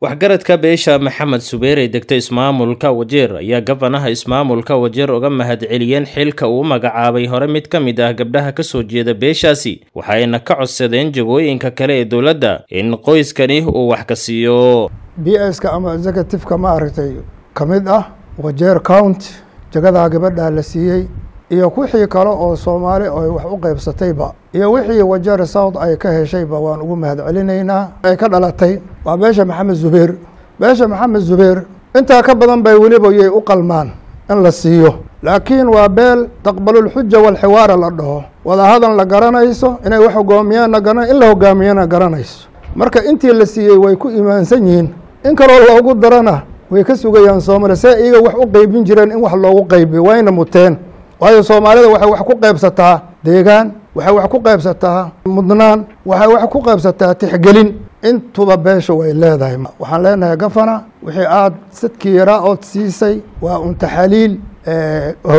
Waxgaradka beesha Maxamed Subeer ee degta ismaamulka Wajeer ayaa gabanaha ismaamulka Wajeer uga mahadceliyeen xilka uu magacaabay hore mid ka mid ah gabdhaha ka soo jeeda beeshaasi, waxayna ka codsadeen jagooyinka kale ee dowladda in qoyskani uu wax ka siiyo. PS-ka ama executive-ka, ma aragtay, ka mid ah Wajeer County, jagadaa gabadhaa la siiyey iyo wixii kale oo Soomaali ay wax u qaybsatayba iyo wixii Wajeer South ay ka heshayba, waan ugu mahad celinaynaa. Ay ka dhalatay waa beesha Maxamed Zubeer. Beesha Maxamed Zubeer intaa ka badan bay weliba yay u qalmaan in la siiyo, laakiin waa beel taqbalulxuja walxiwaara la dhaho, wadahadal la garanayso, inay wax hogaamiyaanna garan, in la hogaamiyana garanayso. Marka intii la siiyey way ku imaansan yihiin, in kaloo loogu darana way ka sugayaan. Soomaaliya see iyaga wax u qeybin jireen in wax loogu qaybiyo wayna muteen, waayo Soomaalida waxay wax ku qaybsataa deegaan, waxay wax ku qaybsataa mudnaan, waxay wax ku qaybsataa tixgelin. Intuba beesha way leedahay. Waxaan leenahay gafana, wixii aad sadkii yaraa ood siisay waa un taxaliil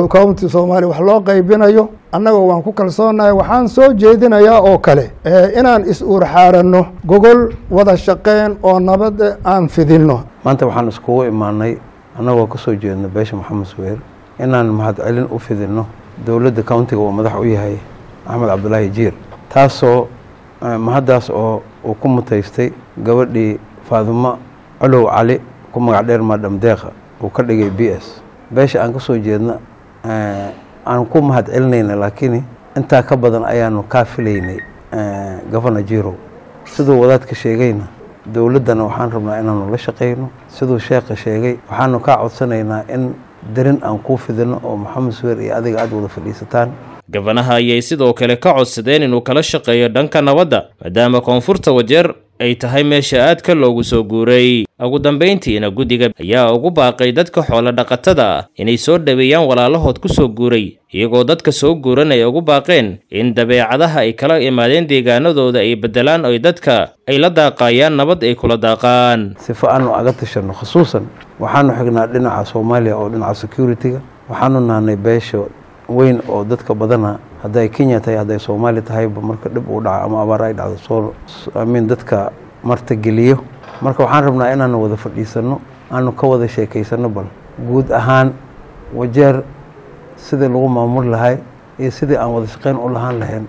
county Soomaaliya wax loo qaybinayo, annaga waan ku kalsoonahay. Waxaan soo jeedinayaa oo kale inaan is-uurxaaranno, gogol wada shaqeyn oo nabad aan fidinno. Maanta waxaan iskugu imaanay annagoo ka soo jeedno beesha Maxamed Subeer inaan mahadcelin u fidinno dowladda countiga uu madax u yahay Axmed Cabdulaahi Jiir, taasoo mahaddaas oo uu ku mutaystay gabadhii Faadumo Colow Cali, ku magac dheer Madam Deeqa, uu ka dhigay PS. Beesha aan ka soo jeedna aan ku mahad celinayna, laakiin intaa ka badan ayaanu kaa filaynay, Governor Jirow. Siduu wadaadka sheegayna, dowladdana waxaan rabnaa inaanu la shaqayno. Siduu sheekha sheegay, waxaanu kaa codsanaynaa in darin aan kuu fidino oo Maxamed Suweer iyo adiga aada wada fadhiisataan. Gabanaha ayay sidoo kale ka codsadeen inuu kala shaqeeyo dhanka nabadda, maadaama koonfurta Wajeer ay tahay meesha aadka loogu soo guuray. Ugu dambayntiina guddiga ayaa ugu baaqay dadka xoolo dhaqatada ah inay soo dhaweeyaan walaalahood ku soo guuray, iyagoo dadka soo guuran ay ugu baaqeen in dabeecadaha ay kala imaadeen deegaanadooda ay beddelaan, oy dadka ay la daaqayaan nabad ay kula daaqaan. Sifo aanu aga tashanno, khusuusan waxaanu xignaa dhinaca Soomaaliya oo dhinaca security-ga. Waxaanu nahnay beesha weyn oo dadka badana, hadday Kenya tahay, hadday Soomaaliya tahayba, marka dhib uu dhaco ama abaar ay dhacdo, soo amiin dadka martageliyo. Marka waxaan rabnaa inaanu wada fadhiisanno, aanu ka wada sheekaysanno bal guud ahaan Wajeer sidii lagu maamuli lahay iyo sidii aan wada shaqeyn u lahaan lahayn.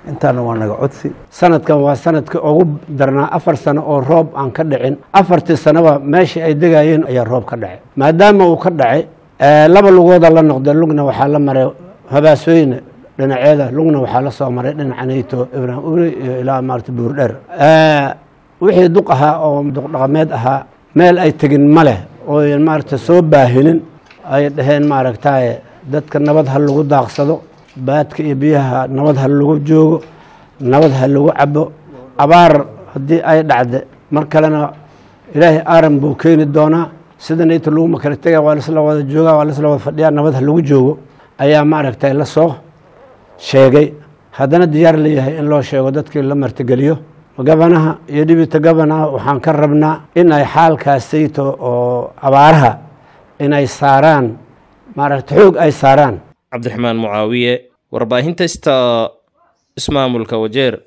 Intaana waa naga codsi. Sanadkan waa sanadkii ugu darnaa, 4 sano oo roob aan ka dhicin. Afartii sanoba meeshii ay degayeen ayaa roob ka dhacay. Maadaama uu ka dhacay, laba lugooda la noqday. Lugna waxaa la maray Habaasooyne dhinaceeda, lugna waxaa la soo maray dhinaca Nayto Ibraahim Uri iyo ilaa maarata Buurdheer. Wixii duq ahaa oo duq dhaqameed ahaa meel ay tegin ma leh ooyan maarata soo baahinin. Ay dhaheen, maaragtaye, dadka nabad ha lagu daaqsado, baadka iyo biyaha nabad ha lagu joogo, nabad ha lagu cabo. Abaar haddii ay dhacde mar kalena, Ilaahay aaran buu keeni doonaa. Sida nayta laguma kala tega, waa laisla wada joogaa, waa laisla wada fadhiyaa, nabad ha lagu joogo ayaa maaragtay la soo sheegay. Haddana diyaar leeyahay in loo sheego dadkii la martigeliyo. Gabanaha iyo deputy governorha waxaan ka rabnaa in ay xaalkaasayto oo abaaraha inay saaraan, maaragta, xoog ay saaraan. Cabdiraxmaan Mucaawiye, warbaahinta Sta, ismaamulka Wajeer.